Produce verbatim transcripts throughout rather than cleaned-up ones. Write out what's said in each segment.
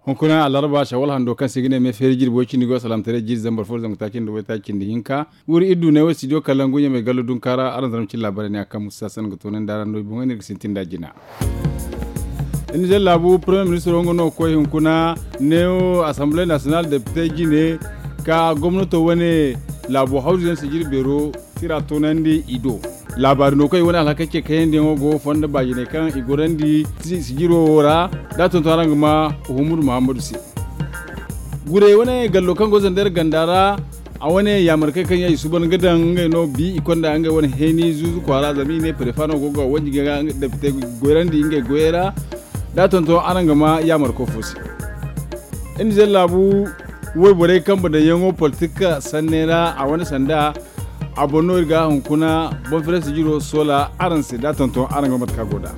Hunkuna alarba shawal hando kaŋ se i ga ne me feeri jirbi way cindi go salaamtaray jiiri zambar fo zangu taaci nda way taaci nda hinka. Wuri iddu ne wo studio kalangu ɲamay gallo dunkaara araŋ zarma cine laabaarey ne a kaŋ musa sanda ga toonandi araŋ no i boŋey no iri ga sintin nd'a jina. Nizer laabu premier ministro nga no ga koy hunkuna ne wo assemblée nationale depite jine ka gomnato wane laabo hawzu yaŋ sijiri beero tira toonandi i do. Laabaari no kaŋ i wane alhakey ce kayandi yaŋo go fondo baajiney kaŋ i gorandi sijiro wo ra da a tonton araŋ ga ma hummud muhammadu se. Gurey wane gallo kaŋ go zandar ganda ra a wane yaamarkey kaŋ yaŋ i suuban ga daŋ ngey no bi i konda ngey wane heeni zuuzu kwaara zama i ne prefa no go ga wanji ga depite goyrandi ngey goyey ra. Da a tonton araŋ ga ma yaamarko fo se. Nizer laabu wayborey kambe daŋyaŋo politik sanney ra a wane sanda a boŋ no iri ga hunkuna boŋ fere sijiro soola araŋ se da a tonton araŋ ga mate kaŋ a go nd'a.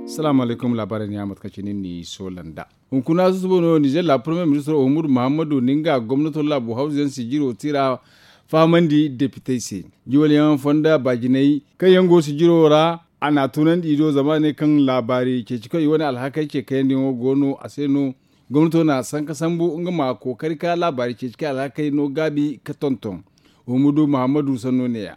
Salaamu alaykum laabaarey ne ya mate kaŋ cine ni soola nd'a. Hunkuna susubo no nizer laabu premier ministro uhumudu muhammadu na nga gomnato laabu hawzu yaŋ sijiro tira fahamandi depitey se. Jiwal yaŋ fonda baajiney kaŋ yaŋ go sijiro ra a n'a tunandi i do zama a ne kaŋ laabaari ceeci kaŋ i wane alhakey ce kayandiyaŋo go no a se no. Gomnato na sanka sambu nga ma kookari ka laabaari ceeci kaŋ alhakey no gaabi ka tonton. Uhumudu muhammadu sanno ne ya.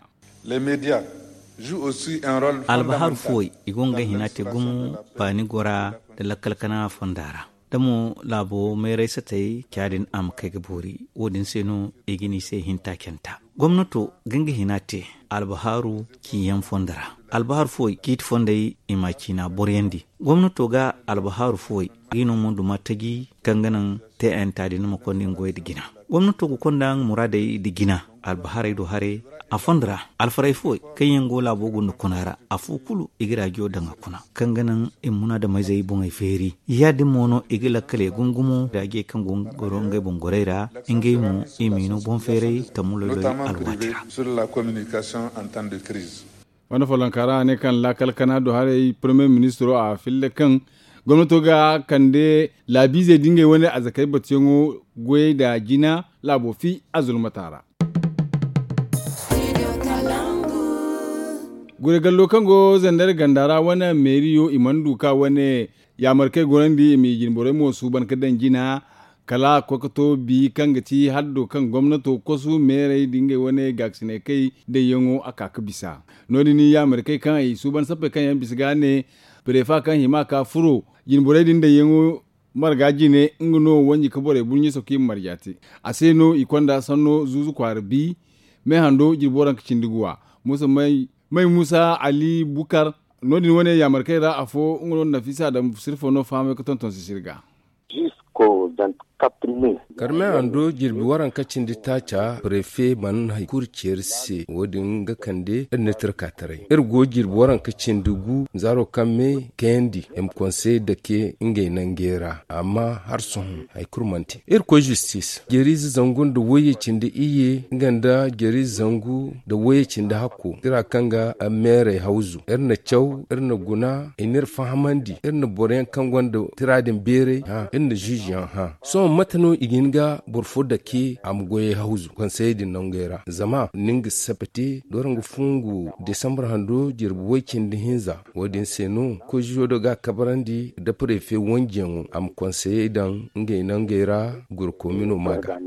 Albaharu fooy i go nga hina te gumo baani gora nda lakkal kana fonda ra da mo laabo meeray satey ca din a ma kay ga boori. Wo- din se no i ga ni se hinta canta gomnato ga nga hina te. Albaharu ciyaŋ fondo ra albaharu fooy ciiti fondey i ma a ciina boroyandi. Gomnato ga albaharu fooy i no mo duma taji kaŋ ga naŋ te a yanta din ma konda nga goy nda jina. Gomnato ga konda nga muraadey nda jina albaharey do haray. A fondo ra alfaray fooy kaŋ yaŋ go laabo gunda kuna ra afo kulu i ga raajiyo daŋ a kuna kaŋ ga naŋ i ma munaadamizey boŋey feeri. Ya- din mo no i ga lakkaley gungumo raajiyey kaŋ go ga goro ngey boŋ gorey ra ngey mo i ma i no boŋ feeray tammu loyloy alwaati ra. Wanda follonka ra a ne kaŋ laakal kana do haray premier ministro a filla kaŋ gomnato ga kande laabiizey da ngey wane azakey batuyaŋo goyey nda jina laabo fi a zulmata ra. Gure gallo kaŋ go zandar ganda ra wane meeriyo i mana du ka wane yaamarkey gorandi i ma i jinborey mo suuban ka daŋ jina. Kala a koy ka to bi kaŋ ga ti haddo kaŋ gomnato kosu meerey da ngey wane gaakasiney kay dayyaŋo a ka ga bisa. No- din yaamarkey kaŋ i suuban sappey kaŋ yaŋ bisa ga ne prefa kaŋ hima ka furo jinborey din dayyaŋo marga jine nga no wanji ka borey burɲiso kaŋ i ma marja te. A se no i konda sanno zuuzu kwaara bi me hando jirbi waranka cindi guwa. Musa may musa ali bukar no- din wane yaamarkey ra afo nga no nafisa daŋ sirfo no fahamay ga tonton sisiri ga. Karme hando jirbi waranka cindi taaca prefe mana hari kulu ceeri se wo- din ga kande iri na tirka taray iri go jirbi waranka cindi gu zaaro kaŋ me kayandi i ma konsey dake ngey nangey ra amma hari sohõ hari kulu mana te iri koy zistis jeeriize zangu nda wayye cindi iyye nga nda jeeriize zangu nda wayye cindi hakko tira kaŋ ga meerey hawzu iri na caw iri na guna i n'iri fahamandi iri na boro yaŋ kaŋ gonda tira din beeray hã iri na ziize yaŋ hã. Sohõ mate no i ga hin ga boro fo dake a ma goyey hawzu konseyey din nangey ra zama ni nga sappe te doro nga fungu desambar hando jirbi way cindi hinza. Wo- din se no koy ziizo do ga a kabarandi nda prefe wanjiyaŋo a ma konseyey daŋ ngey nangey ra gurkoomino ma ga.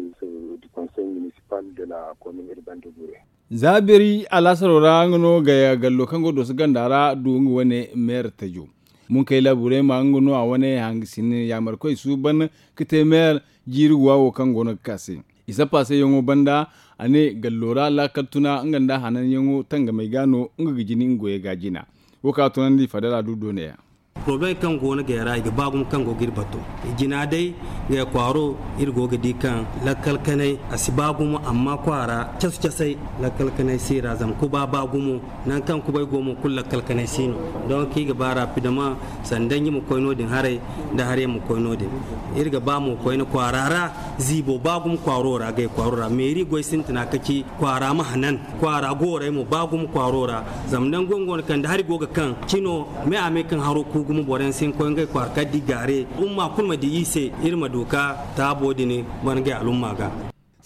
Za beeri alaasaro ra nga no gaya gallo kaŋ go dooso ganda ra du nga wane meera tajo. Munkay laaburey ma nga no a wane hangasin yaamarkoy suuban ka te meera jiiri guwa wo kaŋ go no ga ka se. I sappa se yaŋo banda a ne gallo ra laakal tuna nga nda hananyaŋo tangamey ga no nga ga jini nga goyey ga jina. Wo kaŋ a tunandi fadala du doone yaŋ. Poroblem kaŋ go no gay ra i ga ba gumo kaŋ go ga iri bato. Jina day gay kwaaro iri go ga di kaŋ lakkal kanay a si ba gumo amma kwaara casu casay lakkal kanay si ra zama kuba ba gumo. Nangu kaŋ kubay go mo kulu lakkal kanay si no. Donk i ga ba rapidement sanda ɲi ma koy no- din haray nda haray ma koy no- din. Iri ga ba mo koyne kwaara ra ziibo ba gumo kwaaro ra gay kwaaro ra meeri goy sintina ka ci kwaara ma hanan kwaara goorey mo ba gumo kwaaro ra. Zama nango nga wane kaŋ da hari go ga kaŋ cino me a me kaŋ haro ku gumo boro yaŋ si hin koy ngey kwaara kala da i gaare umma kulu ma di i se. Iri ma du ka taabo din ban ngey alumma ga.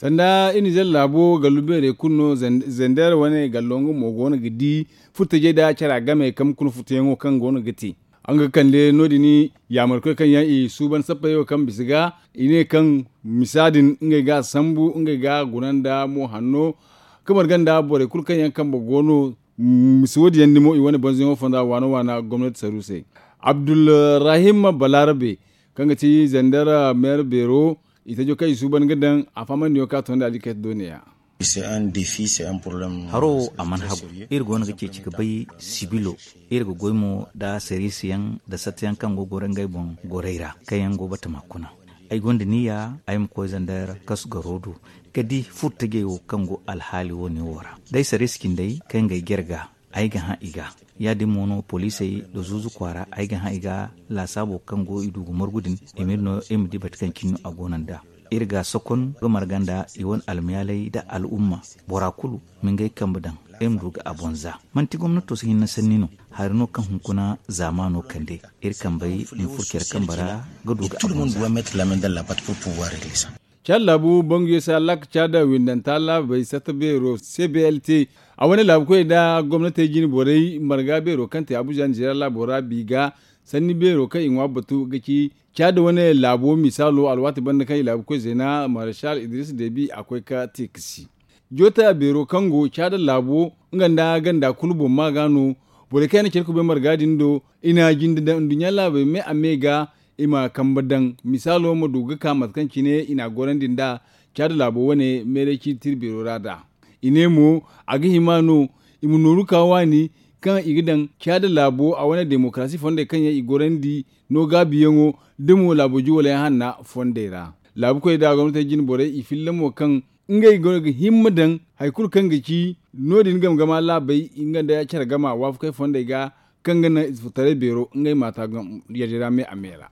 Sanda i nizer laabo gallu beerey kulu no. Zender wane gallo nga mo go no ga di furtajey nda cara game kambe kuna furtayaŋo kaŋ go no ga te. Nga kande no- din yaamarkoy kaŋ yaŋ i suuban sappey wo kaŋ bisa ga i ne kaŋ misa din ngey ga a sambu ngey ga a guna nda mo hanno, ka marga nda borey kulu kaŋ yaŋ kambe go no. Misa wo- din yaŋ dimo i wane banzayaŋo fonda waana waana gomnati saru se. Abdulrahim balarabe kaŋ ga ti zender meera beero, i tajo kaŋ i suuban ga daŋ a faamandiyo ka tondi a di kay dooniya. Haro wo a mana hagu. Iri go no ga ceeci ga bay sibilo. Iri ga goy mo nda sariisi yaŋ nda satta yaŋ kaŋ go ga goro ngey boŋ gorey ra kaŋ yaŋ go batama kuna. Ay gonda niyya ay ma koy zandar kasu garo do ka di furtajey wo kaŋ go alhaali wo- ne wo ra. Day sariisi cindey kaŋ ga ay jare ga, ay ga hã i ga. Ya- din mo no poliisey nda zuuzu kwaara ay ga hã i ga. Laasaabo kaŋ go i du ga margu din i m'iri no iri ma di bate kaŋ cine no a go no nd'a. Iri ga a sokon ga marga nda i wane almiyaaley nda al'umma. Bora kulu ma ngey kambe daŋ iri ma du ga a boŋ za. Manti gomnato si hinne sanni no. Hari no kaŋ hunkuna zaamaano kande iri kambey ma furo care kambe ra ga du ga a boŋ za. Caada laabu banguyo se hallaka caada windanta laabey satta beero se blt. A wane laabukoy nda gomnatey jine borey marga beero kaŋ te abuja nizeeriya laabo ra bi ga sanni beero kaŋ i ŋwa batu ga ci caada wane laabo misaalo alwaati banda kaŋ i laabukoy zeena marshal idris debi a koy ka te ka si. Joota beero kaŋ go caada laabo nga nda ganda kulu boŋ ma ga no. Borey kaŋ yaŋ na care kubay marga din do i na jinde daŋ nduɲɲa laabey me a me ga i ma kambe daŋ. Misaalo ma du ga ka mate kaŋ cine i n'a gorandi nd'a caada laabo wane meeray ciiti tira beero ra nd'a. I ne mo a ga hima no i ma nooru ka waani kaŋ i ga daŋ caada laabo a wane demokarasi fondey kaŋ yaŋ i gorandi no gaabiyaŋo da mo laabo juwaley hanna fondey ra. Laabukoy nda gomnatey jine borey i filla mo kaŋ ngey go ga himma daŋ hari kulu kaŋ ga ci no- din game gama laabey nga nda care gama waafakey fondey ga kaŋ ga naŋ ize furtaray beero ngey maata yadda ra me a me ra.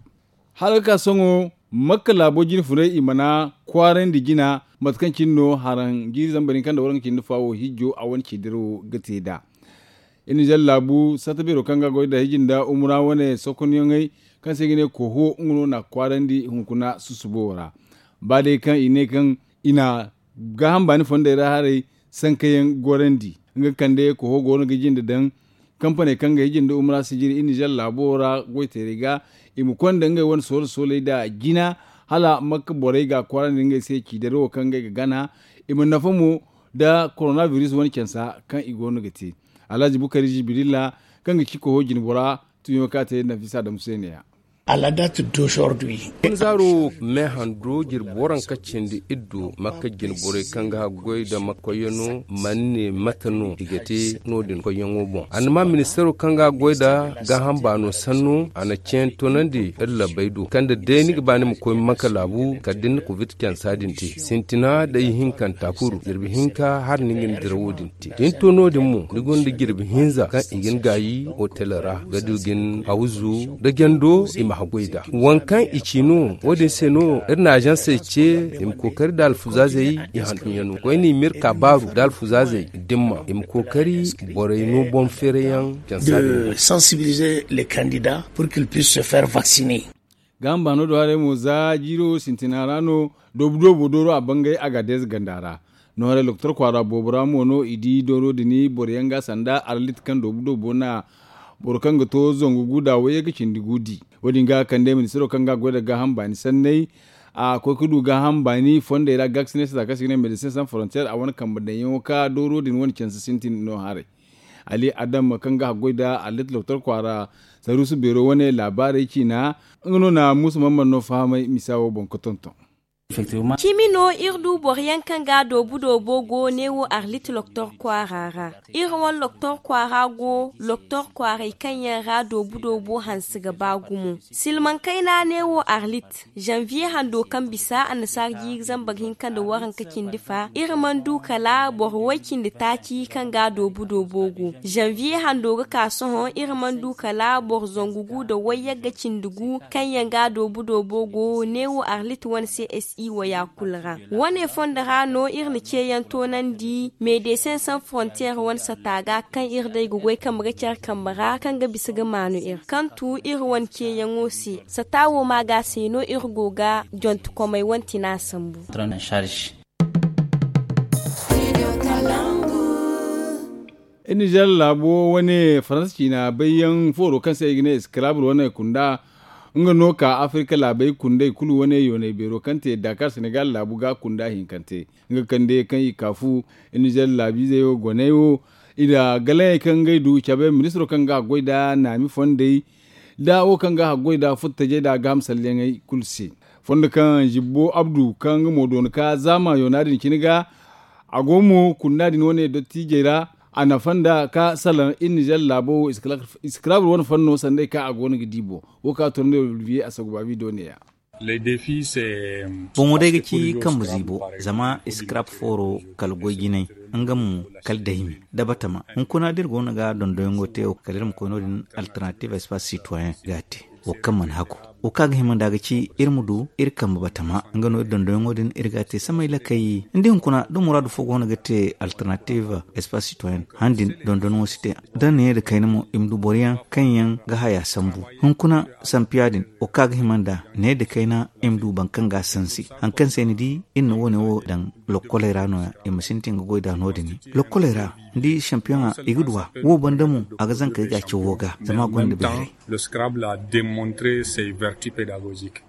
Hala ga ka sohõ makka laabo jine funay i mana kwaarandi jina mate kaŋ cine no haraŋ jiiri zambar hinka nda waranka cindi faawo hijjo a wane ci dirawo ga te nd'a. Iri na zalla laabu satta beero kaŋ ga goy nda hiji nda umura wane sokonyaŋey kaŋ se i ga ne koho nga no na kwaarandi hunkuna susubo ra. Ba day kaŋ i ne kaŋ i na gaaham baani fondey ra haray sankayaŋ gorandi nga ga kande koho go no ga jinde daŋ. Kampaney kaŋ ga hiji nda umura sijiri iri nizer laabo ra goyteerey ga i ma konda ngey wane soole sooley nda jina hala makka borey ga kwaarandi ngey se ciidari wo kaŋ ngey ga gana. I ma nafa mo nda koronabiris wane cansa kaŋ i go no ga te. Alhazi bukari zibirilla kaŋ ga ci koho jinbora tuuyaŋo kaŋ a te nafisa adamu se ne- ya. Alada ti dosordu i. Kun zaaro me hando jirbi waranka cindi iddo makka jinborey kaŋ ga goy nda makkoyyaŋo mana ne mate no i ga te no- din koyyaŋo boŋ a na ma ministaro kaŋ ga goy nda gaaham baano sanno a na ceeyaŋ toonandi iri labbey do kaŋ da day ni ga ba ni ma koy makka laabu kala da ni na covid cansa din te sintina day hinkanta kulu jirbi hinka hala ni ga ni dirawo din te da ni to no- din mo ni gonda jirbi hinza kaŋ i ga ni gaayi otel ra ga du ga ni hawzu nda jando i ma haggoy nd'a waŋ kaŋ i ci no wo- din se no iri na azansey ce i ma kookari nda alfuzaazey i hantumyaŋo koyne i ma iri ka baaru nda alfuzaazey dimma i ma kookari borey no boŋ feerayaŋ cansa din. De sensibiliser les candidats pour qu'ils puissent se faire vacciner. Gaaham baano do haray mo za jiiro sintina ra no doobu doobo dooro a bangay a ga deeza ganda ra. No haray lokotor kwaara boobo ra mo no i di dooro din boro yaŋ ga sanda arlit kaŋ doobu doobo na boro kaŋ ga to zangu gu da wayye ga cindi gu di. Wo- din ga kande ministiro kaŋ ga goy nda gaaham baani sanney a koy ga du gaaham baani fondey ra gaaksine se za kaŋ se i ga ne medecin sans frontier a wane kambe daŋyaŋo ka dooro din wane canse sintin no haray. Ali adam kaŋ ga haggoy nda alit lokotor kwaara saruusu beero wane laabaarey ciina nga no na muusa mamman no fahamay misa wo boŋ ga tonton. Cimi no iri du boro yaŋ kaŋ ga doobu doobo go neewo arlit lokotor kwaara ra. Iri wane lokotor kwaara go lokotor kwaaray kaŋ yaŋ ra doobu doobo hanse ga ba gumo silmaŋ kayna neewo arlit. Zanviye hando kaŋ bisa annasaara jiiri zambar hinka nda waranka cindi fa iri mana du kala boro way-cindi taaci kaŋ ga doobu doobo go. Zanviye hando ga ka sohõ iri mana du kala boro zangu gu nda wayyagga cindi gu kaŋ yaŋ ga doobu doobo go neewo arlit wane csi waya kulu ra. Wane fondo ra no iri na ceeyaŋ toonandi medecin sans frontier wane sata ga kaŋ iri day ga goy kambe ga care kambe ra kaŋ ga bisa ga maanu iri kaŋ tu iri wane ceeyaŋo se. Sata wo ma ga se no iri go ga jontekomey wane tina sambu. Nizer laabo wane faransa ciina bayyaŋ fooro kaŋ se i ga ne esclave wane kunda, nga no ka afirka laabey kundey kulu wane yoonay beero kaŋ te dakar senegal laabu ga kunda hinkante. Nga kande kaŋ i ka fu nizer laabiizey wo goney wo, i na galaŋey kaŋ ngey du cabe ministiro kaŋ ga haggoy nda naami fondey, nda wo kaŋ ga haggoy nda furtajey nda gaaham salleŋey kulu se. Fondo kaŋ zibbo abdu kaŋ nga mo doona ka zaama yoona din cine ga, a go mo kunda din wane dottiijey ra. A nafa nda ka salaŋ iri nizer laabo wo, esclave wane fanno sanday kaŋ a go no ga di boŋ. Wo kaŋ a toro nda olivier a saguba bido neeya. Boŋo day ga ci kambe ziibo, zama escrap fooro kala goy jinay, nga mo kala daymi da batama. Hunkuna da iri go no ga dondoyaŋo te wo kala iri ma koy no- din, alternative espace citoyen ga a te. Wo kaŋ mana hagu, wo kaŋ a ga hima nda ga ci iri ma du iri kambe batama, nga no iri dondoyaŋo din iri ga a te samay lakay. Ni di hunkuna da muraadu fo go no ga te alternative espace citoyen, han din dondonyaŋo si te. Da ne da kayna mo i ma du boro yaŋ kaŋ yaŋ ga haya sambu. Hunkuna sampiya din, wo kaŋ a ga hima nda ne da kayna i ma du boro kaŋ ga a sansi. Hari kaŋ se ni di iri na wo- ne wo daŋ lokkoley ra no- ya i ma sintin ga goy nd'a no- din. Lokkoley ra, ni di sampiyoŋa i ga du a wo banda mo, a ga zankey ga a cawo ga zama a gonda beeray. Le scrabble a demontre ses vertus pedagogiques.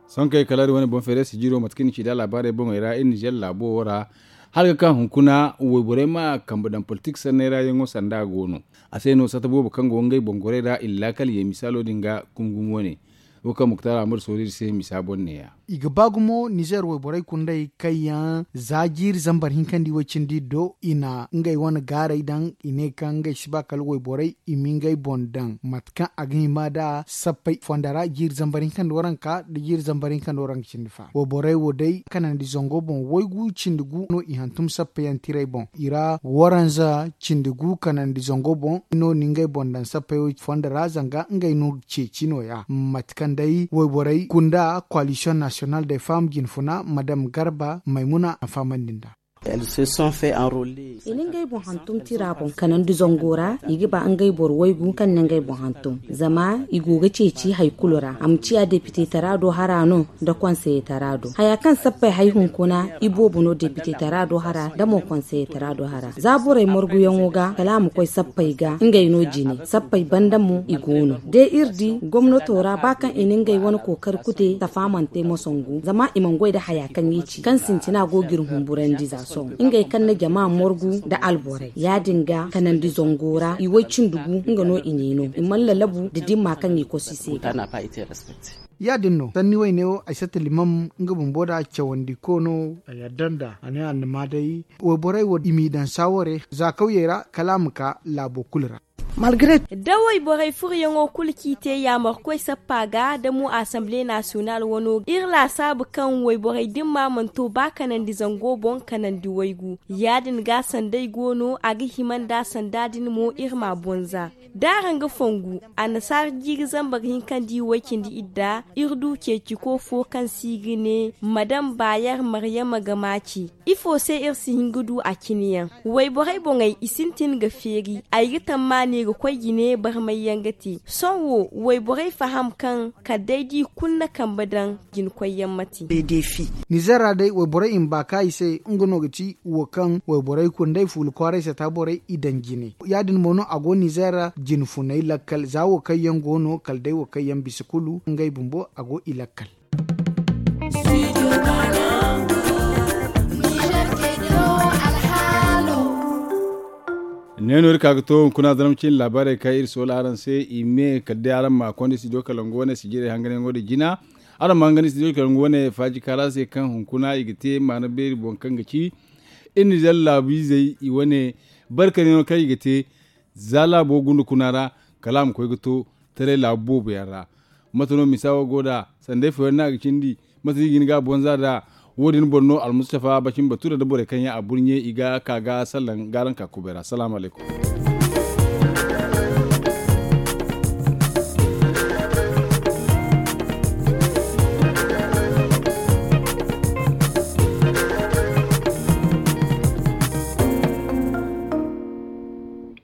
Sonkey kala iri wane boŋ feere sijiro mate kaŋ iri na ci nd'a laabaarey boŋey ra iri nizer laabo wo ra, hala ga ka hunkuna wayborey ma kambe daŋ politik sanney ra yaŋo sanda go no. A se no satta boobo kaŋ go ngey boŋ gorey ra i na laakal ye misaalo din ga gumo gumo wane. Wo kaŋ muktar ahmad soori iri se misa boŋ neeya. I ga ba gumo nizer wayborey kundey kaŋ yaŋ za jiiri zambar hinkandi way cindi do i na ngey wane gaaray daŋ, i ne kaŋ ngey si ba kala wayborey i ma ngey boŋ daŋ mate kaŋ a ga hima nd'a sappey fonda ra jiiri zambar hinkandi waranka nda jiiri zambar hinkandi waranka cindi fa. Wayborey wo day kanandi zango boŋ waygu cindi gu no i hantum sappeyaŋ tirey boŋ i ra waranza cindi gu kanandi zango boŋ no ni ngey boŋ daŋ sappey wo fonda ra zanga ngey no ceeci no- ya mate kaŋ day wayborey kunda koalisiyoŋ nasiyonal de fam jinfuna madam garba maymuna a fahamandi nd'a. I na ngey boŋ hantum tira boŋ kanandi zango ra i ga ba ngey boro waygu kaŋ na ngey boŋ hantum zama i go ga ceeci hari kulu ra a ma ciya depite tara do hara no nda konseye tara do haya kaŋ sappey hari hunkuna i boobo no depite tara do hara nda mo konseye tara do hara za borey marguyaŋo ga kala a ma koy sappey ga ngey no jine sappey banda mo i go no de iri di gomnato ra ba kaŋ i na ngey wane kookari kute safa mana te moso ngu zama i mana goy nda haya kaŋ i ci kaŋ sintina go ga iri humburandi za sohõ ngey kaŋ na jama margu nda alborey ya- din ga kanandi zango ra i way cindi gu nga no i ne no i mana lalabu nda dimma kaŋ i kosu i se ga. Ya- din no sanni wayne wo ay satta limam nga bumbo nda cawandi ko no a yadda nd'a a ne a na ma day wayborey wo i m'i daŋ saaware za kawyey ra kala a ma ka laabo kulu ra. Da wayborey furoyaŋo kulu kaŋ i te yaamarkoy sappa ga da mo asamble nasiyonal wano iri laasaabu kaŋ wayborey dimma mana to ba kanandi zango boŋ kanandi waygu ya- din ga sanda ay go no a ga hima nd'a sanda din mo iri m'a bonza da araŋ ga fongu annasaara jiiri zambar hinkandi way cindi idda iri du ceeciko fo kaŋ se i ga ne madam baayer maryama ga maaci. Ifo se iri si hin ga du a cine yaŋ wayborey boŋey i sintin ga feeri ay ga tammaani ga koy jine barmay yaŋ ga te sohõ wo wayborey faham kaŋ kala day da i kulu na kambe daŋ jina koyyaŋ ma te. Nizer ra day wayborey i ma ba ka i se nga no ga ci wo kaŋ wayborey kulu nd'ey fuula kwaaray sata borey i daŋ jine ya- din mo no a go nizer ra jine funay lakkal za wo kaŋ yaŋ go no kala day wo kaŋ yaŋ bisa kulu ngey bumbo a go i lakkal. Ne no iri ka ga to hunkuna zarma cine laabaarey kaŋ iri soola araŋ se i me kala day araŋ ma konda studio kalangu wane sijirey hanganyaŋo din jina. Araŋ ma hangan studio kalangu wane faaji kaara se kaŋ hunkuna i ga te maana beeri boŋ kaŋ ga ci iri nizer laabiizey i wane barkanyaŋo kaŋ i ga te za laabo gunda kuna ra kala a ma koy ga to taray laabu boobo yaŋ ra. Mate no misa wo go nd'a sanda ifo yaŋ no a ga cindi? Mate no i ga hin ga a bonza nd'a? Wo- din boŋ no almustafa bacin bature nda borey kaŋ yaŋ a burɲe i ga ka ga salaŋ ga araŋ ka kubay ra salaamu alaykum.